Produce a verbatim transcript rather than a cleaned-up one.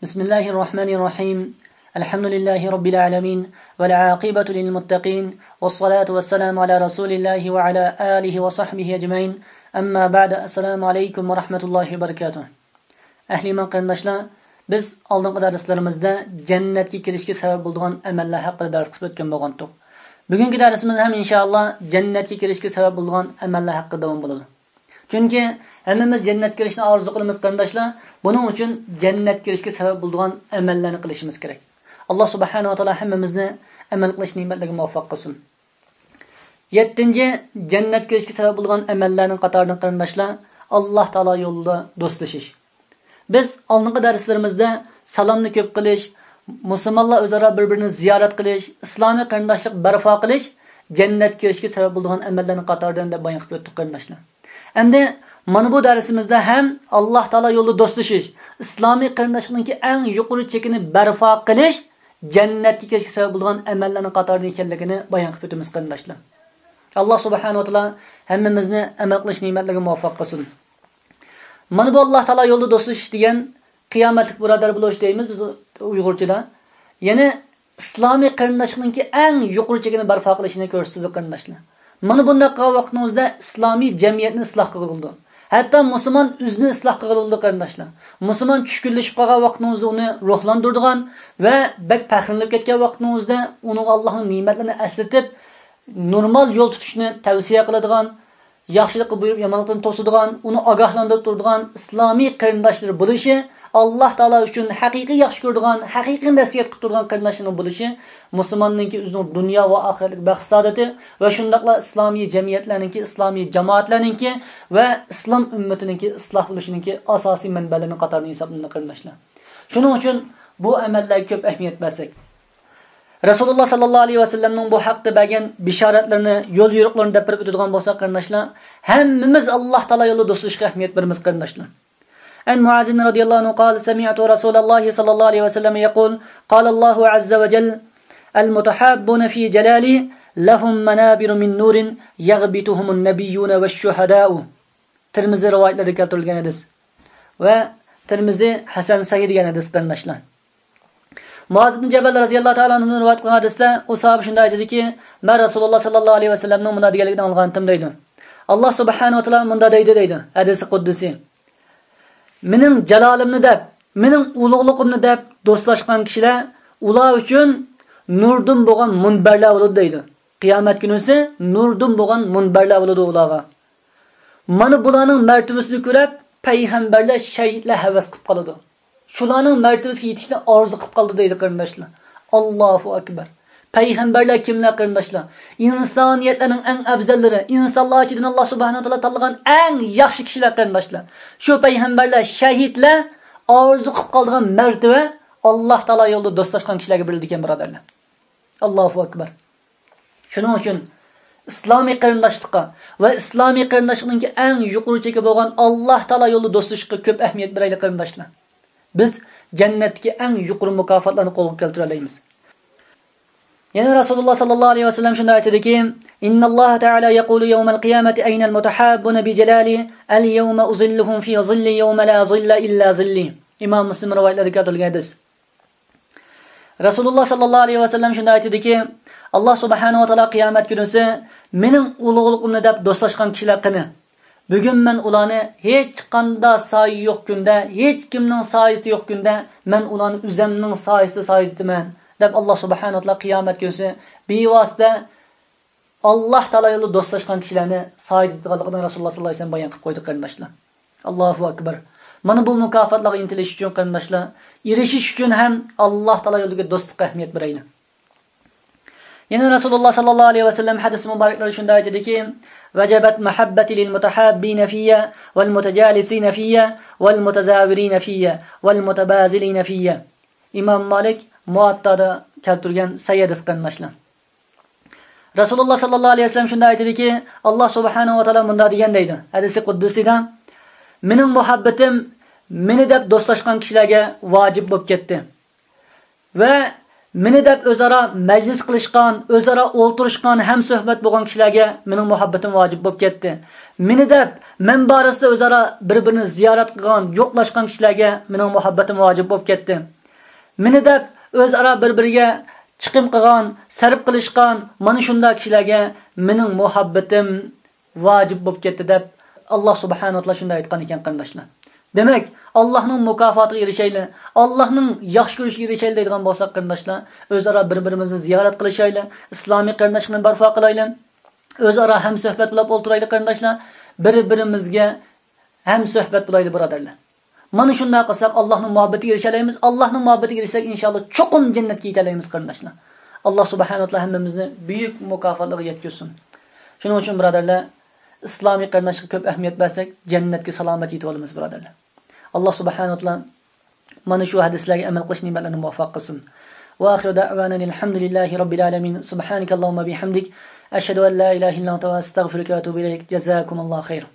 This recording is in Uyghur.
بسم الله الرحمن الرحيم. الحمد لله رب العالمين، والعاقبة للمتقين، والصلاة والسلام على رسول الله وعلى آله وصحبه أجمعين. أما بعد، السلام عليكم ورحمة الله وبركاته. ئەھلى ئىمان قېرىنداشلار، بىز ئالدىنقى دەرسلىرىمىزدە جەننەتكە كىرىشكە سەۋەب بولىدىغان ئەمەللەر ھەققىدە دەرس قىلىپ ئۆتكەن بولغانتۇق. بۈگۈنكى دەرسىمىز ھەم ئىنشائاللا جەننەتكە كىرىشكە سەۋەب بولىدىغان ئەمەللەر ھەققىدە داۋام بولىدۇ. چۈنكى ھەممىمىز جەننەتكە كىرىشنى ئارزۇ قىلىمىز قېرىنداشلار. بۇنىڭ ئۈچۈن جەننەتكە كىرىشكە سەۋەب بولىدىغان ئەمەللەرنى قىلىشىمىز كېرەك. ئاللا سۇبھانەھۇ ۋە تائالا ھەممىمىزنى ئەمەل قىلىش نېمەتلىرىگە مۇۋەپپەق قىلسۇن. يەتتىنچى، جەننەتكە كىرىشكە سەۋەب بولىدىغان ئەمەللەرنىڭ قاتارىدىن قېرىنداشلار، ئاللا تائالا يولىدا دوستلىشىش. بىز ئالدىنقى دەرسلىرىمىزدە سالامنى كۆپ قىلىش، مۇسۇلمانلار ئۆزئارا بىر-بىرىنى زىيارەت قىلىش، ئىسلامىي قېرىنداشلىق بەرپا قىلىش جەننەتكە كىرىشكە سەۋەب بولىدىغان ئەمەللەرنىڭ قاتارىدىن دەپ بايان قىلىپ ئۆتتۇق قېرىنداشلار. ئەمدى مانا بۇ دەرسىمىزدە ھەم ئاللا تائالا يولىدا دوستلىشىش، ئىسلامىي قېرىنداشلىقنىڭكى ئەڭ يۇقىرى چېكىنى بەرپا قىلىش جەننەتكە كىرىشكە سەۋەب بولىدىغان ئەمەللەرنىڭ قاتارىدا ئىكەنلىكىنى بايان قىلىپ ئۆتىمىز قېرىنداشلار. ئاللا سۇبھانەھۇ ۋە تائالا ھەممىمىزنى ئەمەل قىلىش نېمەتلىرىگە مۇۋەپپەق قىلسۇن. مانا بۇ ئاللا تائالا يولىدا دوستلىشىش دېگەن قىيامەتلىك بۇرادەر بولۇش دەيمىز بىز ئۇيغۇرچىدا. يەنى ئىسلامىي قېرىنداشلىقنىڭكى ئەڭ يۇقىرى چېكىنى بەرپا قىلىشنى كۆرسىتىدۇ قېرىنداشلار. مانا بۇنداق قىلغان ۋاقتىڭىزدا ئىسلامىي جەمئىيەتنى ئىسلاھ قىلغىلى بولىدۇ. ھەتتا مۇسۇلمان ئۆزىنى ئىسلاھ قىلغىلى بولىدۇ قېرىنداشلار. مۇسۇلمان چۈشكۈنلىشىپ قالغان ۋاقتىڭىزدا ئۇنى روھلاندۇرىدىغان ۋە بەك پەخىرلىنىپ كەتكەن ۋاقتىڭىزدا ئۇنىڭغا ئاللانىڭ نېمەتلىرىنى ئەسلىتىپ، نورمال يول تۇتۇشنى تەۋسىيە قىلىدىغان، ياخشىلىققا بۇيرۇپ، يامانلىقتىن توسىدىغان، ئۇنى ئاگاھلاندۇرۇپ تۇرىدىغان ئىسلامىي قېرىنداشلىرى بولۇشى، ئاللا تائالا ئۈچۈن ھەقىقىي ياخشى كۆرىدىغان، ھەقىقىي نەسىھەت قىلىپ تۇرىدىغان قېرىنداشلىرىنىڭ بولۇشى مۇسۇلماننىڭكى ئۆزىنىڭ دۇنيا ۋە ئاخىرەتلىك بەخت-سائادىتى ۋە شۇنداقلا ئىسلامىي جەمئىيەتلەرنىڭكى، ئىسلامىي جامائەتلەرنىڭكى ۋە ئىسلام ئۈممىتىنىڭكى ئىسلاھ بولۇشىنىڭكى ئاساسىي مەنبەلىرىنىڭ قاتارىدىن ھېسابلىنىدۇ قېرىنداشلار. شۇنىڭ ئۈچۈن بۇ ئەمەللەرگە كۆپ ئەھمىيەت بەرسەك، رەسۇلۇللا ساللاللاھۇ ئەلەيھى ۋەسەللەمنىڭ بۇ ھەقتە بەرگەن بېشارەتلىرىنى، يول يورۇقلىرىنى دەپ بېرىپ ئۆتىدىغان بولساق قېرىنداشلار، ھەممىمىز ئاللا تائالا يولىدا دوستلىشىشقا ئەھمىيەت بېرىمىز قېرىنداشلار. عن معاذ رضي الله عنه قال سمعت رسول الله صلى الله عليه وسلم يقول قال الله عز وجل المتحابون في جلالي لهم منابر من نور يغبطهم النبيون والشهداء. تىرمىزى رىۋايەتلىرىدە كەلتۈرۈلگەن ھەدىس. ۋە تىرمىزى ھەسەن سەھىھ دېگەن ھەدىس قېرىنداشلار. مۇئاز ئىبن جەبەل رەزىياللاھۇ تائالا ئەنھۇدىن رىۋايەت قىلغان ھەدىستە ئۇ ساھابە شۇنداق ئېيتىدىكى، مەن رەسۇلۇللا ساللاللاھۇ ئەلەيھى ۋەسەللەمنىڭ مۇنداق دېگەنلىكىنى ئاڭلىغانتىم دەيدۇ. ئاللا سۇبھانەھۇ ۋە تائالا مۇنداق دەيدۇ دەيدۇ، ھەدىسى قۇددۇسى. مېنىڭ جالالىمنى دەپ، مېنىڭ ئۇلۇغلۇقۇمنى دەپ دوستلاشقان كىشىلەر، ئۇلار ئۈچۈن نۇردىن بولغان مۇنبەرلەر بولىدۇ دەيدۇ. قىيامەت كۈنىسى نۇردىن بولغان مۇنبەرلەر بولىدۇ ئۇلارغا. مانا بۇلارنىڭ مەرتىۋىسىنى كۆرۈپ، پەيغەمبەرلەر، شەھىدلەر ھەۋەس قىلىپ قالىدۇ. شۇلارنىڭ مەرتىۋىسىگە يېتىشنى ئارزۇ قىلىپ قالىدۇ دەيدۇ قېرىنداشلار. ئاللاھۇ ئەكبەر. پەيغەمبەرلەر كىملەر قېرىنداشلار؟ ئىنسانىيەتلەرنىڭ ئەڭ ئەۋزەللىرى، ئىنسانلار ئىچىدىن ئاللا سۇبھانەھۇ ۋە تائالا تاللىغان ئەڭ ياخشى كىشىلەر قېرىنداشلار. شۇ پەيغەمبەرلەر، شەھىدلەر ئارزۇ قىلىپ قالىدىغان مەرتىۋە ئاللا تائالا يولىدا دوستلاشقان كىشىلەرگە بېرىلىدىكەن بۇرادەرلەر. ئاللاھۇ ئەكبەر. شۇنىڭ ئۈچۈن ئىسلامىي قېرىنداشلىققا ۋە ئىسلامىي قېرىنداشلىقنىڭكى ئەڭ يۇقىرى چېكى بولغان ئاللا تائالا يولىدا دوستلىشىشقا كۆپ ئەھمىيەت بېرەيلى قېرىنداشلار. بىز جەننەتتىكى ئەڭ يۇقىرى مۇكاپاتلارنى قولغا كەلتۈرەلەيمىز. يەنە رەسۇلۇللا ساللاللاھۇ ئەلەيھى ۋەسەللەم شۇنداق ئېيتىدىكى، إن الله تعالى يقول يوم القيامة أين المتحابون بجلالي اليوم أظلهم في ظلي يوم لا ظل إلا ظلي. ئىمام مۇسلىم رىۋايەتلىرىدە كەلتۈرۈلگەن ھەدىس. رەسۇلۇللا ساللاللاھۇ ئەلەيھى ۋەسەللەم شۇنداق ئېيتىدىكى، ئاللا سۇبھانەھۇ ۋە تائالا قىيامەت كۈنىسى مېنىڭ ئۇلۇغلۇقۇمنى دەپ دوستلاشقان كىشىلەر قېنى؟ بۈگۈن مەن ئۇلارنى ھېچقانداق سايە يوق كۈندە، ھېچكىمنىڭ سايىسى يوق كۈندە مەن ئۇلارنى ئۆزەمنىڭ سايىسىدا سايىدىتىمەن دەپ ئاللا سۇبھانەھۇ ۋە تائالا قىيامەت كۈنىسى بىۋاسىتە ئاللا تائالا يولىدا دوستلاشقان كىشىلەرنى سايىدىتىدىغانلىقىنى رەسۇلۇللا ساللاللاھۇ ئەلەيھى ۋەسەللەم بايان قىلىپ قويدى قېرىنداشلار. ئاللاھۇ ئەكبەر. مانا بۇ مۇكاپاتلارغا ئىنتىلىش ئۈچۈن قېرىنداشلار، ئېرىشىش ئۈچۈن ھەم ئاللا تائالا يولىدىكى دوستلۇققا ئەھمىيەت بېرەيلى. يەنە رەسۇلۇللا ساللاللاھۇ ئەلەيھى ۋەسەللەم ھەدىس مۇبارەكلىرى شۇنداق ئېيتىدىكى، وجبت محبتي للمتحابين في والمتجالسين في والمتزاورين في والمتباذلين في. ئىمام مالىك مۇئاتتادا كەلتۈرگەن سەھىھ ھەدىس قېرىنداشلار. رەسۇلۇللا ساللاللاھۇ ئەلەيھى ۋەسەللەم شۇنداق ئېيتىدىكى، ئاللا سۇبھانەھۇ ۋە تائالا مۇنداق دېگەن دەيدۇ، ھەدىسى قۇددۇسىدا، مېنىڭ مۇھەببىتىم مېنى دەپ دوستلاشقان كىشىلەرگە ۋاجىپ بولۇپ كەتتى. ۋە مېنى دەپ ئۆزئارا مەجلىس قىلىشقان، ئۆزئارا ئولتۇرۇشقان، ھەمسۆھبەت بولغان كىشىلەرگە مېنىڭ مۇھەببىتىم ۋاجىپ بولۇپ كەتتى. مېنى دەپ مەن بارىسىدا ئۆزئارا بىر-بىرىنى زىيارەت قىلغان، يوقلاشقان كىشىلەرگە مېنىڭ مۇھەببىتىم ۋاجىپ بولۇپ كەتتى. مېنى دەپ ئۆزئارا بىر-بىرىگە چىقىم قىلغان، سەرپ قىلىشقان مانا شۇنداق كىشىلەرگە مېنىڭ مۇھەببىتىم ۋاجىپ بولۇپ كەتتى دەپ، ئاللا سۇبھانەھۇ ۋە تائالا شۇنداق ئېيتقان ئىكەن، قېرىنداشلار. دېمەك، ئاللانىڭ مۇكاپاتىغا ئېرىشەيلى، ئاللانىڭ ياخشى كۆرۈشىگە ئېرىشەيلى دەيدىغان بولساق، قېرىنداشلار، ئۆزئارا بىر-بىرىمىزنى زىيارەت قىلىشايلى، ئىسلامىي قېرىنداشلىقنى بەرپا قىلايلى، ئۆزئارا ھەمسۆھبەت بولۇپ ئولتۇرايلى، قېرىنداشلار، بىر-بىرىمىزگە ھەمسۆھبەت بولايلى، بۇرادەرلەر. مانا شۇنداق قىلساق، ئاللانىڭ مۇھەببىتىگە ئېرىشەلەيمىز. ئاللانىڭ مۇھەببىتىگە ئېرىشسەك، ئىنشاللا، چوقۇم جەننەتكە يېتەلەيمىز، قېرىنداشلار. ئاللا سۇبھانەھۇ ۋە تائالا ھەممىمىزنى بۈيۈك مۇكاپاتلىرىغا يەتكۈزسۇن. شۇنىڭ ئۈچۈن، بۇرادەرلەر، ئىسلامىي قېرىنداشلىققا كۆپ ئەھمىيەت بەرسەك، جەننەتكە سالامەت يېتىۋالىمىز، بۇرادەرلەر. ئاللا سۇبھانەھۇ ۋە تائالا مانا شۇ ھەدىسلەرگە ئەمەل قىلىش نېمەتلىرىنى مۇۋەپپەق قىلسۇن. وآخر دعوانا أن الحمد لله رب العالمين. سبحانك اللهم وبحمدك، أشهد أن لا إله إلا أنت، أستغفرك وأتوب إليك. جزاكم الله خيرا.